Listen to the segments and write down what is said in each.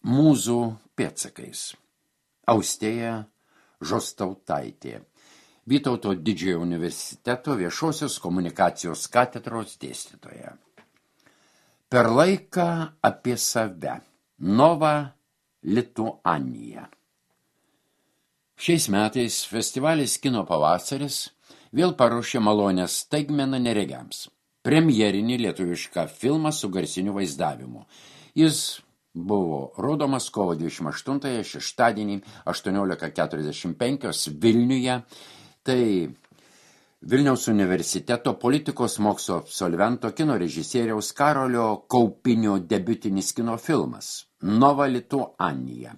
Mūzų pėdsakais. Austėja Žostautaitė. Vytauto Didžiojo universiteto viešosios komunikacijos katedros dėstytoja. Per laiką apie save. Nova Lituanija. Šiais metais festivalis Kino pavasaris vėl paruošė malonę staigmeną neregiams. Premjerinį lietuvišką filmą su garsiniu vaizdavimu. Jis buvo rodomas kovo 28 šeštadienį 18:45 Vilniuje. Tai Vilniaus universiteto politikos mokslo absolvento kino režisieriaus Karolio Kaupinio debiutinis kino filmas Nova Lituanija.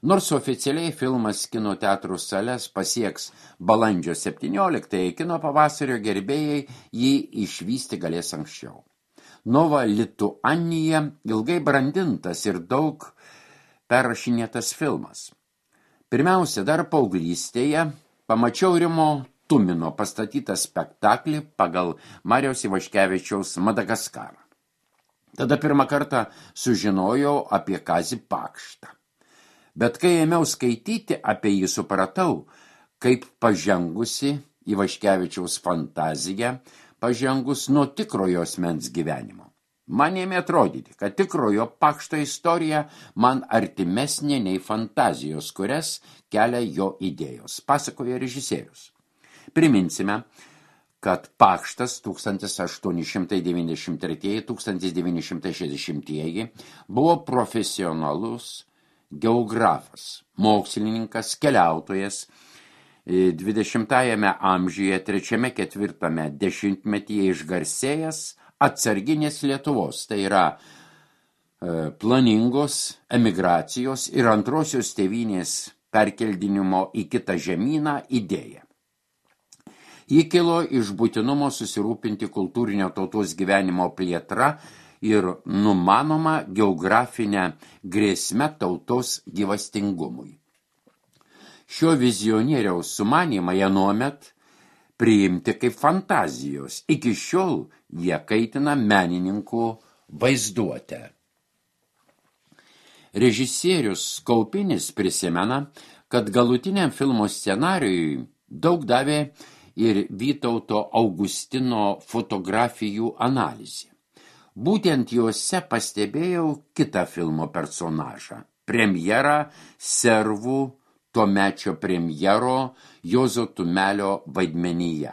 Nors oficialiai filmas kino teatrų sales pasieks balandžio 17, kino pavasario gerbėjai jį išvysti galės anksčiau. Nova Lituanija ilgai brandintas ir daug perrašinėtas filmas. Pirmiausia, dar paauglystėje pamačiau Rimo Tumino pastatytą spektaklį pagal Mariaus Ivaškevičiaus Madagaskarą. Tada pirmą kartą sužinojau apie Kazį Pakštą. Bet kai ėmiau skaityti apie jį, supratau, kaip pažengusi Ivaškevičiaus fantazija, pažengus nuo tikrojo asmens gyvenimo. Man ėmė atrodyti, kad tikrojo Pakšto istorija man artimesnė nei fantazijos, kurias kelia jo idėjos, pasakoja režisierius. Priminsime, kad Pakštas 1893-1960 buvo profesionalus geografas, mokslininkas, keliautojas, 20-ame amžiuje 3-4 dešimtmetyje išgarsėjęs atsarginės Lietuvos, tai yra planingos emigracijos ir antrosios tėvynės perkeldinimo į kitą žemyną idėja. Ji kilo iš būtinumo susirūpinti kultūrinio tautos gyvenimo plėtra ir numanoma geografinę grėsmę tautos gyvastingumui. Šio vizionieriaus sumanymą anuomet priimti kaip fantazijos. Iki šiol jie kaitina menininkų vaizduotę. Režisierius Kaupinis prisimena, kad galutiniam filmo scenarijui daug davė ir Vytauto Augustino fotografijų analizė. Būtent juose pastebėjau kitą filmo personažą, premjerą servų tuomečio premjero Juozo Tumelio vaidmenyje.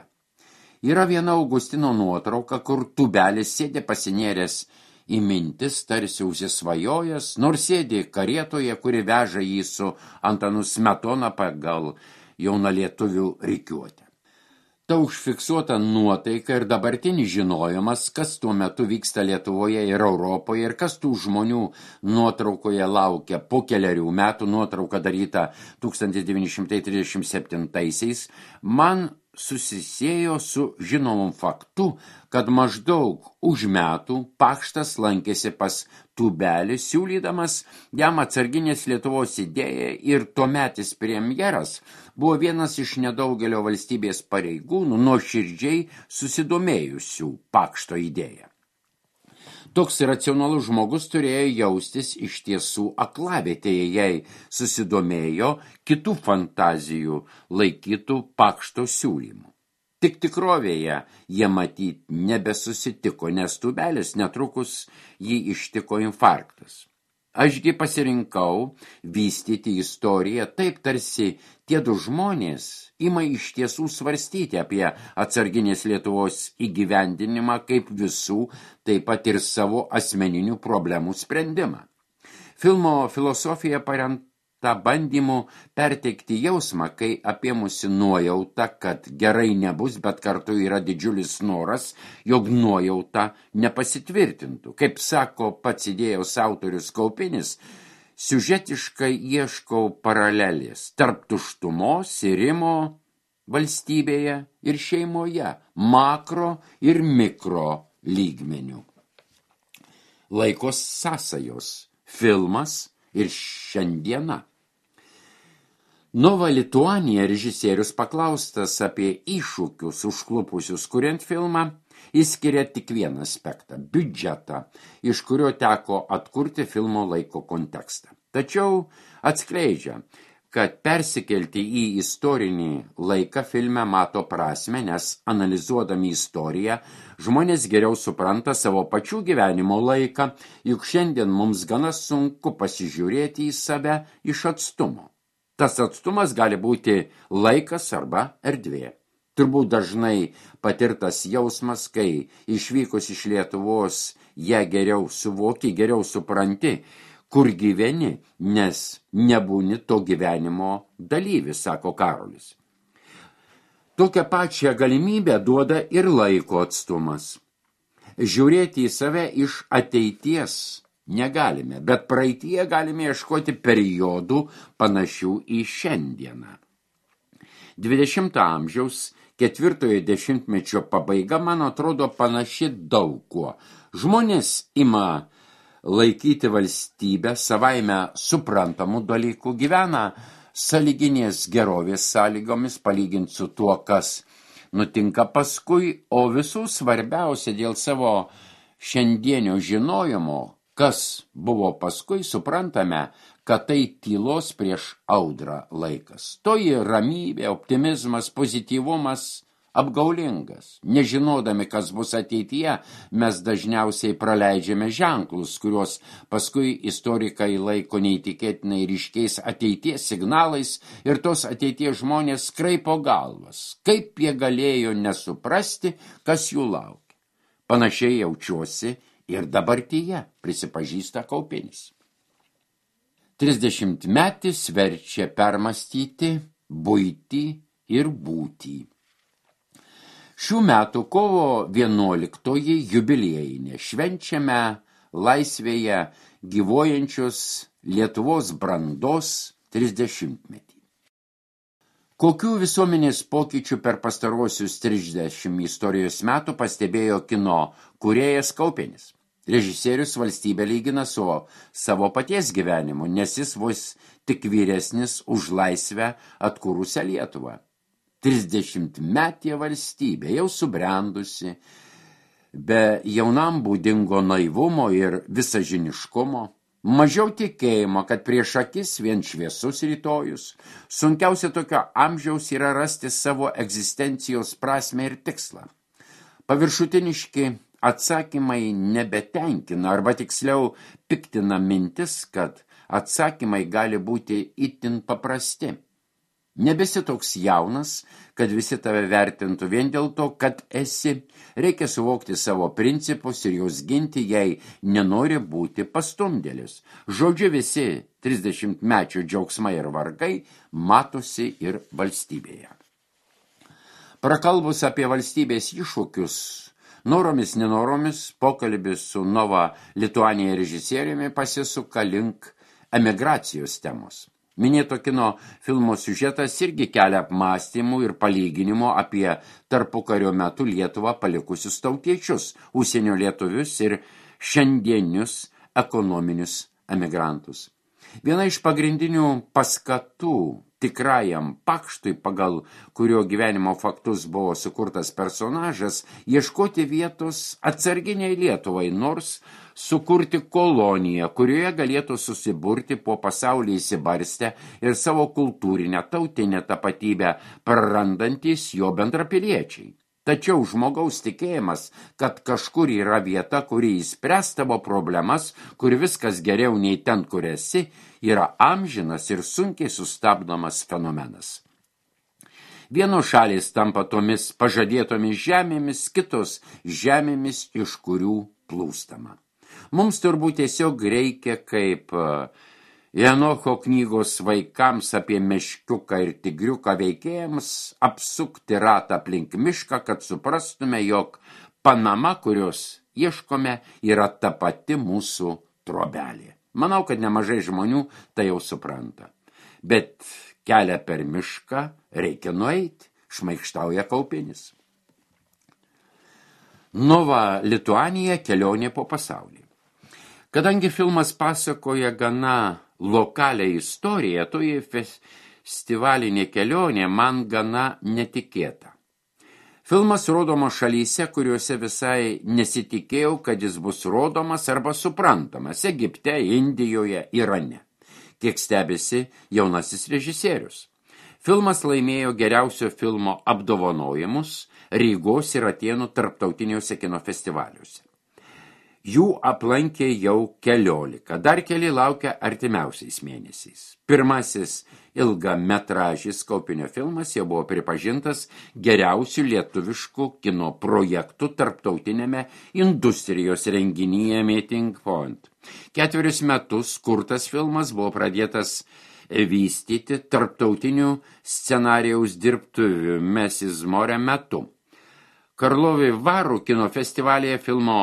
Yra viena Augustino nuotrauka, kur Tubelis sėdi pasinėręs į mintis, tarsi užsisvajojęs, nors sėdi karietoje, kuri veža jį su Antanu Smetona pagal jaunalietuvių rikiuotę. Ta užfiksuota nuotaika ir dabartinis žinojimas, kas tuo metu vyksta Lietuvoje ir Europoje ir kas tų žmonių nuotraukoje laukia po kelerių metų, nuotrauka daryta 1937-aisiais, man susisiejo su žinomum faktu, kad maždaug už metų Pakštas lankėsi pas Tubelį, siūlydamas jam atsarginės Lietuvos idėją ir tuometis premjeras buvo vienas iš nedaugelio valstybės pareigūnų nuoširdžiai susidomėjusių Pakšto idėją. Toks racionalus žmogus turėjo jaustis iš tiesų aklavietėje, jei susidomėjo kitų fantazijų laikytų Pakšto siūlymų. Tik tikrovėje jie matyt nebesusitiko, nes Tubelis netrukus jį ištiko infarktas. Ašgi pasirinkau vystyti istoriją taip, tarsi tie du žmonės ima iš tiesų svarstyti apie atsarginės Lietuvos įgyvendinimą kaip visų, taip pat ir savo asmeninių problemų sprendimą. Filmo filosofija paremta bandymu perteikti jausmą, kai apėmusi nuojauta, kad gerai nebus, bet kartu yra didžiulis noras, jog nuojauta nepasitvirtintų. Kaip sako pats idėjos autorius Kaupinis, siužetiškai ieškau paralelės tarp tuštumos ir Rimo valstybėje ir šeimoje, makro ir mikro lygmenių. Laikos sąsajos, filmas ir šiandiena. Nova Lituanija režisierius paklaustas apie iššūkius užklupusius kuriant filmą, Išskiria tik vieną aspektą – biudžetą, iš kurio teko atkurti filmo laiko kontekstą. Tačiau atskleidžia, kad persikelti į istorinį laiką filme mato prasmę, nes analizuodami istoriją, žmonės geriau supranta savo pačių gyvenimo laiką, juk šiandien mums gana sunku pasižiūrėti į save iš atstumo. Tas atstumas gali būti laikas arba erdvė. Turbūt dažnai patirtas jausmas, kai išvykus iš Lietuvos ją geriau suvoki, geriau supranti, kur gyveni, nes nebūni to gyvenimo dalyvis, sako Karolis. Tokią pačią galimybę duoda ir laiko atstumas. Žiūrėti į save iš ateities negalime, bet praeityje galime ieškoti periodų panašių į šiandieną. 20 amžiaus 4 dešimtmečio pabaiga, man atrodo, panaši daug kuo. Žmonės ima laikyti valstybę savaime suprantamų dalykų, gyvena sąlyginės gerovės sąlygomis palyginti su tuo, kas nutinka paskui, o visų svarbiausia dėl savo šiandienio žinojimo, kas buvo paskui, suprantame, kad tai tylos prieš audrą laikas. Toji ramybė, optimizmas, pozityvumas apgaulingas. Nežinodami, kas bus ateityje, mes dažniausiai praleidžiame ženklus, kuriuos paskui istorikai laiko neįtikėtinai ryškiais ateities signalais ir tos ateities žmonės kraipo galvas. Kaip jie galėjo nesuprasti, kas jų laukia. Panašiai jaučiuosi ir dabartyje, prisipažįsta Kaupinis. 30-metis verčia permastyti buitį ir būtį. Šių metų kovo 11 jubiliejinė švenčiame laisvėje gyvuojančios Lietuvos brandos 30-metį. Kokių visuomenės pokyčių per pastaruosius 30 istorijos metų pastebėjo kino kūrėjas Kaupinis? Režisierius valstybę lygina su savo paties gyvenimu, nes jis vos tik vyresnis už laisvę atkūrusią Lietuvą. 30-metė valstybė jau subrendusi, be jaunam būdingo naivumo ir visažiniškumo, mažiau tikėjimo, kad prieš akis vien šviesus rytojus, sunkiausia tokio amžiaus yra rasti savo egzistencijos prasmę ir tikslą. Paviršutiniški atsakymai nebetenkina, arba tiksliau piktina mintis, kad atsakymai gali būti itin paprasti. Nebesi toks jaunas, kad visi tave vertintų vien dėl to, kad esi. Reikia suvokti savo principus ir juos ginti, jei nenori būti pastumdėlis. Žodžiu, visi 30-mečio džiaugsmai ir vargai matosi ir valstybėje. Prakalbus apie valstybės iššūkius, noromis nenoromis, pokalbis su Nova Lituanija režisieriumi pasisuka link emigracijos temos. Minėto kino filmo siužetas irgi kelia apmąstymų ir palyginimų apie tarpukario metu Lietuvą palikusius tautiečius, užsienio lietuvius ir šiandienius ekonominius emigrantus. Viena iš pagrindinių paskatų tikrajam pakštui, pagal kurio gyvenimo faktus buvo sukurtas personažas, ieškoti vietos atsarginiai Lietuvai, nors sukurti koloniją, kurioje galėtų susiburti po pasaulį įsibarstę ir savo kultūrinę tautinę tapatybę prarandantis jo bendrapiliečiai. Tačiau žmogaus tikėjimas, kad kažkur yra vieta, kuri išspręs tavo problemas, kur viskas geriau nei ten, kur esi, yra amžinas ir sunkiai sustabdomas fenomenas. Vienos šalys tampa tomis pažadėtomis žemėmis, kitos žemėmis, iš kurių plūstama. Mums turbūt tiesiog reikia, kaip Enocho knygos vaikams apie meškiuką ir tigriuką veikėjams, apsukti ratą aplink mišką, kad suprastume, jog Panama, kurios ieškome, yra ta pati mūsų trobelė. Manau, kad nemažai žmonių tai jau supranta. Bet kelią per mišką reikia nueiti, šmaikštauja Kaupinis. Nova Lituanija kelionė po pasaulį. Kadangi filmas pasakoja gana lokalią istoriją, toji festivalinė kelionė man gana netikėta. Filmas rodomas šalyse, kuriuose visai nesitikėjau, kad jis bus rodomas arba suprantamas – Egipte, Indijoje, Irane. Kiek stebisi jaunasis režisierius. Filmas laimėjo geriausio filmo apdovanojimus Rygos ir Atėnų tarptautiniuose kino festivaliuose. Jų aplankė jau 14, dar keli laukia artimiausiais mėnesiais. Pirmasis ilgametražis Kaupinio filmas jau buvo pripažintas geriausių lietuviškų kino projektų tarptautinėme industrijos renginyje Meeting Point. 4 metus kurtas filmas buvo pradėtas vystyti tarptautinių scenarijaus dirbtuvių Mrs. More metu. Karlovy Varu kino festivalyje filmo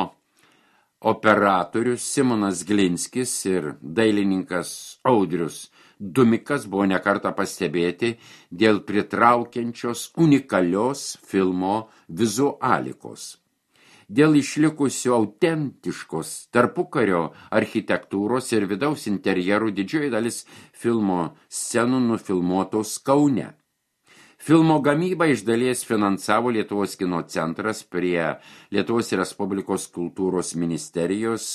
operatorius Simonas Glinskis ir dailininkas Audrius Dumikas buvo nekartą pastebėti dėl pritraukiančios unikalios filmo vizualikos. Dėl išlikusių autentiškos tarpukario architektūros ir vidaus interjerų didžioji dalis filmo scenų nufilmuotos Kaune. Filmo gamybą iš dalies finansavo Lietuvos kino centras prie Lietuvos Respublikos kultūros ministerijos,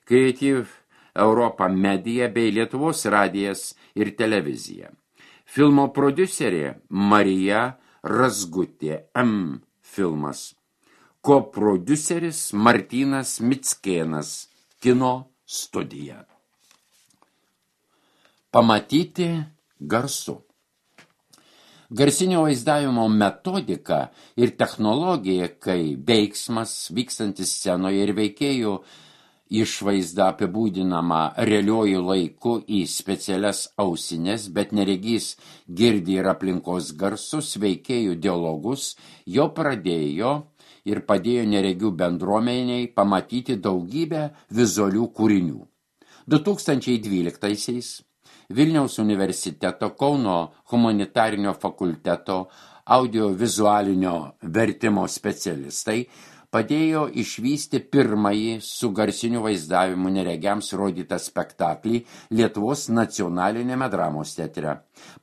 Creative Europa Media bei Lietuvos radijas ir televizija. Filmo prodiuserė Marija Razgutė M. Filmas. Koprodiuseris Martynas Mickėnas, Kino studija. Pamatyti garsu. Garsinio vaizdavimo metodika ir technologija, kai veiksmas vykstantis scenoje ir veikėjų išvaizda apibūdinama realiuoju laiku į specialias ausines, bet neregys girdi ir aplinkos garsus veikėjų dialogus, jo pradėjo ir padėjo neregių bendruomeniai pamatyti daugybę vizualių kūrinių. 2012-aisiais Vilniaus universiteto Kauno humanitarinio fakulteto audiovizualinio vertimo specialistai padėjo išvysti pirmąjį su garsiniu vaizdavimu neregiams rodytą spektaklį Lietuvos nacionalinėme dramos teatre.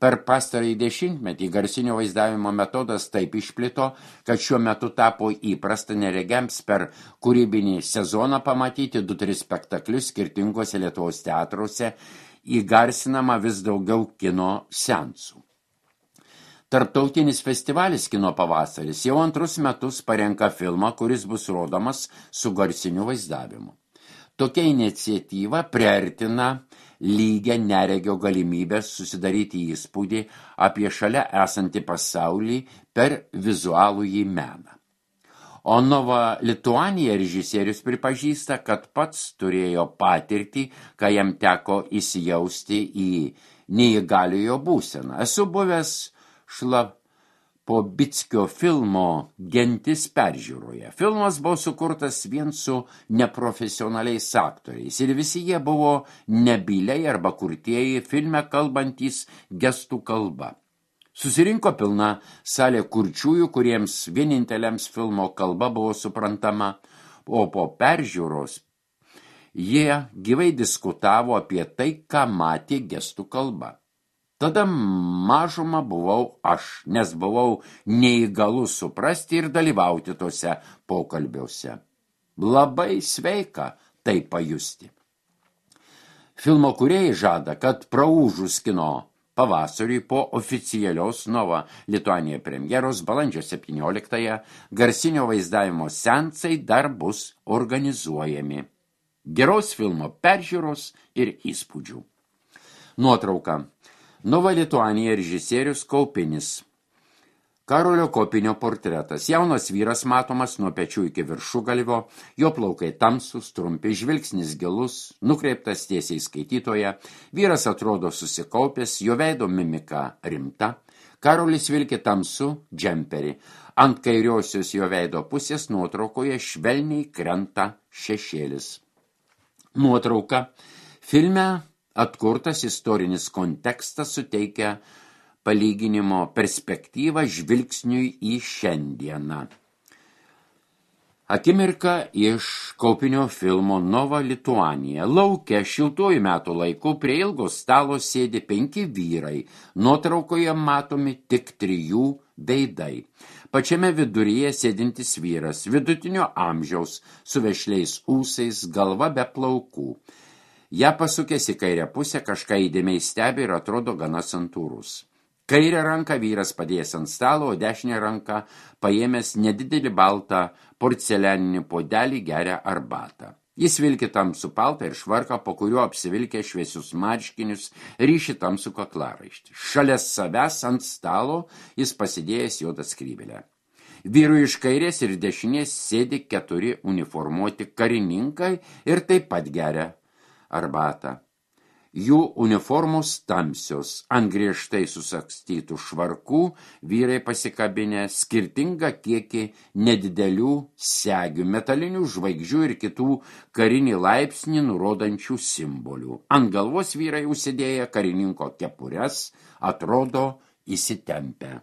Per pastarąjį dešimtmetį garsinio vaizdavimo metodas taip išplito, kad šiuo metu tapo įprasta neregiams per kūrybinį sezoną pamatyti 2-3 spektaklius skirtingose Lietuvos teatruose, įgarsinama vis daugiau kino seansų. Tarptautinis festivalis Kino pavasaris jau 2 metus parenka filmą, kuris bus rodomas su garsiniu vaizdavimu. Tokia iniciatyva priartina lygią neregio galimybę susidaryti įspūdį apie šalia esantį pasaulį per vizualųjį meną. O Nova Lituanija režisierius pripažįsta, kad pats turėjo patirtį, kai jam teko įsijausti į neįgaliojo būseną. Esu buvęs Šlapobickio filmo Gentis peržiūroje. Filmas buvo sukurtas vien su neprofesionaliais aktoriais ir visi jie buvo nebyliai arba kurtieji filme kalbantys gestų kalba. Susirinko pilna salė kurčiųjų, kuriems vieninteliams filmo kalba buvo suprantama, o po peržiūros jie gyvai diskutavo apie tai, ką matė gestų kalba. Tada mažuma buvau aš, nes buvau neįgalus suprasti ir dalyvauti tose pokalbiuose. Labai sveika tai pajusti. Filmo kūrėjai žada, kad praūžus kino pavasariui po oficialios Nova Lituanija premjeros balandžio 17-ąją garsinio vaizdavimo seansai dar bus organizuojami. Geros filmo peržiūros ir įspūdžių. Nuotrauka. Nova Lituanija režisierius Kaupinis. Karolio Kopinio portretas. Jaunas vyras matomas nuo pečių iki viršugalvio, jo plaukai tamsūs, trumpi, žvilgsnis gilus, nukreiptas tiesiai skaitytoje, vyras atrodo susikaupęs, jo veido mimika rimta, Karolis vilki tamsų džemperį, ant kairiosios jo veido pusės nuotraukoje švelniai krenta šešėlis. Nuotrauka. Filme atkurtas istorinis kontekstas suteikia palyginimo perspektyvą žvilgsniui į šiandieną. Akimirka iš Kaupinio filmo Nova Lituanija. Lauke šiltuoju metų laiku prie ilgo stalo sėdi 5 vyrai. Nuotraukoje matomi tik 3 veidai. Pačiame viduryje sėdintis vyras, vidutinio amžiaus, su vešliais ūsais, galva be plaukų. Ja pasukęs į kairę pusę, kažką įdėmiai stebi ir atrodo gana santūrus. Kairę ranką vyras padėjęs ant stalo, o dešinę ranką paėmęs nedidelį baltą porcelianinį puodelį geria arbatą. Jis vilki tamsų paltą ir švarką, po kuriuo apsivilkė šviesius marškinius, ryši tamsų kaklaraištį. Šalia savęs ant stalo jis pasidėjęs juodą skrybėlę. Vyrui iš kairės ir dešinės sėdi 4 uniformuoti karininkai ir taip pat geria arbatą. Jų uniformos tamsios, ant griežtai susagstytų švarkų vyrai pasikabinę skirtingą kiekį nedidelių segių, metalinių žvaigždžių ir kitų karinį laipsnį nurodančių simbolių. Ant galvos vyrai užsidėję karininko kepures, atrodo įsitempę.